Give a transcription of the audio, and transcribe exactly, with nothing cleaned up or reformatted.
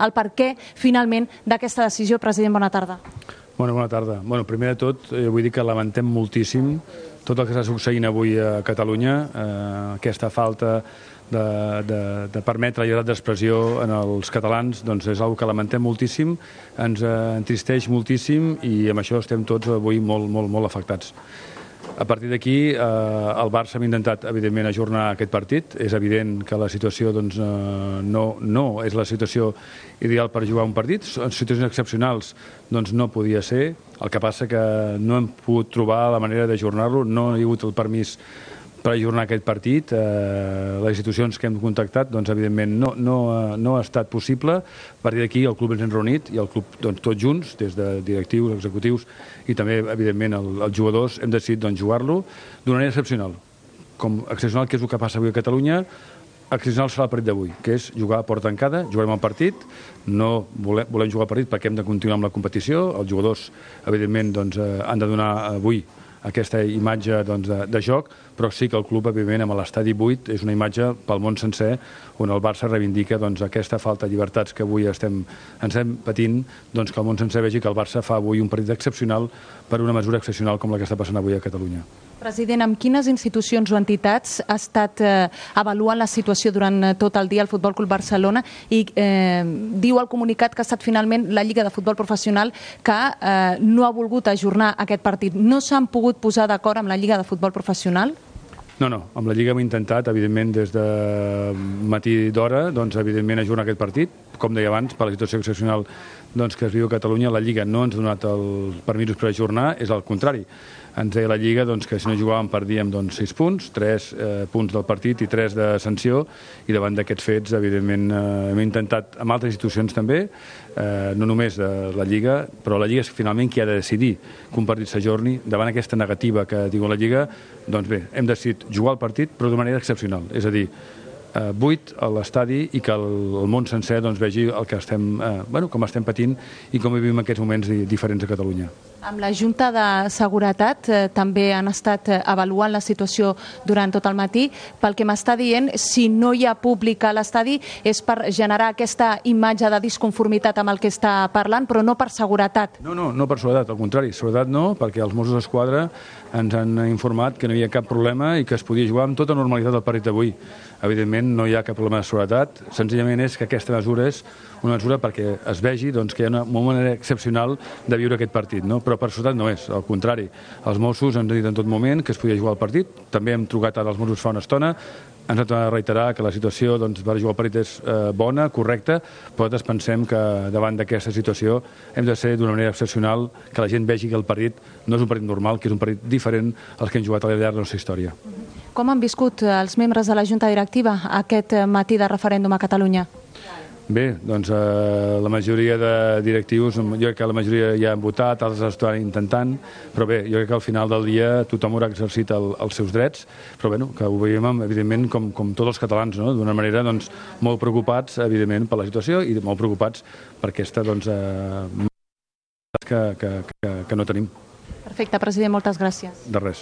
el per què, finalment, d'aquesta decisió. President, bona tarda. Bona, bona tarda. Bueno, primer de tot, eh, vull dir que lamentem moltíssim tot el que està succeint avui a Catalunya, eh, aquesta falta de, de, de permetre la llibertat d'expressió en els catalans, doncs és una que lamentem moltíssim, ens eh, entristeix moltíssim i amb això estem tots avui molt, molt, molt afectats. A partir d'aquí, eh, el Barça ha intentat, evidentment, ajornar aquest partit. És evident que la situació doncs, eh, no, no és la situació ideal per jugar un partit. En situacions excepcionals doncs, no podia ser. El que passa que no hem pogut trobar la manera d'ajornar-lo, no hi ha hagut el permís per ajornar aquest partit. Eh, les institucions que hem contactat, doncs, evidentment, no, no, no ha estat possible. A partir d'aquí, el club ens hem reunit i el club, doncs, tots junts, des de directius, executius i també, evidentment, el, els jugadors, hem decidit doncs, jugar-lo d'una manera excepcional. Com excepcional, que és el que passa avui a Catalunya, excepcional serà el partit d'avui, que és jugar a porta tancada, jugarem el partit, no volem, volem jugar el partit perquè hem de continuar amb la competició, els jugadors, evidentment, doncs, eh, han de donar avui aquesta imatge doncs, de, de joc, però sí que el club, evidentment, amb l'estadi buit, és una imatge pel món sencer on el Barça reivindica doncs, aquesta falta de llibertats que avui estem, ens estem patint, doncs, que el món sencer vegi que el Barça fa avui un partit excepcional per una mesura excepcional com la que està passant avui a Catalunya. President, amb quines institucions o entitats ha estat eh, avaluant la situació durant tot el dia el Futbol Club Barcelona i eh, diu al comunicat que ha estat finalment la Lliga de Futbol Professional que eh, no ha volgut ajornar aquest partit. No s'han pogut posar d'acord amb la Lliga de Futbol Professional? No, no, amb la Lliga hem intentat, evidentment, des de matí d'hora, doncs, evidentment, ajornar aquest partit. Com deia abans, per la situació excepcional doncs, que es viu a Catalunya, la Lliga no ens ha donat els permisos per ajornar, és al contrari. Ens deia la Lliga doncs, que si no jugàvem perdíem doncs, sis punts, tres eh, punts del partit i tres de sanció, i davant d'aquests fets, evidentment, eh, hem intentat amb altres institucions també, eh, no només de la Lliga, però la Lliga és finalment qui ha de decidir que un partit s'ajorni. Davant aquesta negativa que diu la Lliga, doncs bé, hem decidit jugar el partit, però de manera excepcional, és a dir, eh, buit a l'estadi i que el, el món sencer doncs, vegi el que estem, eh, bueno, com estem patint i com vivim en aquests moments diferents a Catalunya. Amb la Junta de Seguretat eh, també han estat eh, avaluant la situació durant tot el matí. Pel que m'està dient, si no hi ha públic a l'estadi és per generar aquesta imatge de disconformitat amb el que està parlant, però no per seguretat. No, no, no per seguretat, al contrari, seguretat no, perquè els Mossos d'Esquadra ens han informat que no hi ha cap problema i que es podia jugar amb tota normalitat el partit d'avui. Evidentment no hi ha cap problema de seguretat, senzillament és que aquesta mesura és una mesura perquè es vegi doncs, que hi ha una, una manera excepcional de viure aquest partit, no? Però per seguretat no és, al contrari. Els Mossos ens han dit en tot moment que es podia jugar al partit, també hem trucat ara als Mossos fa una estona, ens han de reiterar que la situació doncs, per jugar al partit és eh, bona, correcta, però nosaltres pensem que davant d'aquesta situació hem de ser d'una manera excepcional, que la gent vegi que el partit no és un partit normal, que és un partit diferent als que hem jugat al llarg de la nostra història. Com han viscut els membres de la Junta Directiva aquest matí de referèndum a Catalunya? Bé, doncs eh, la majoria de directius, jo crec que la majoria ja han votat, altres estan intentant, però bé, jo crec que al final del dia tothom haurà exercit el, els seus drets, però bé, que ho veiem, evidentment, com, com tots els catalans, no? D'una manera doncs, molt preocupats, evidentment, per la situació i molt preocupats per aquesta, doncs, eh, que, que, que, que no tenim. Perfecte, president, moltes gràcies. De res.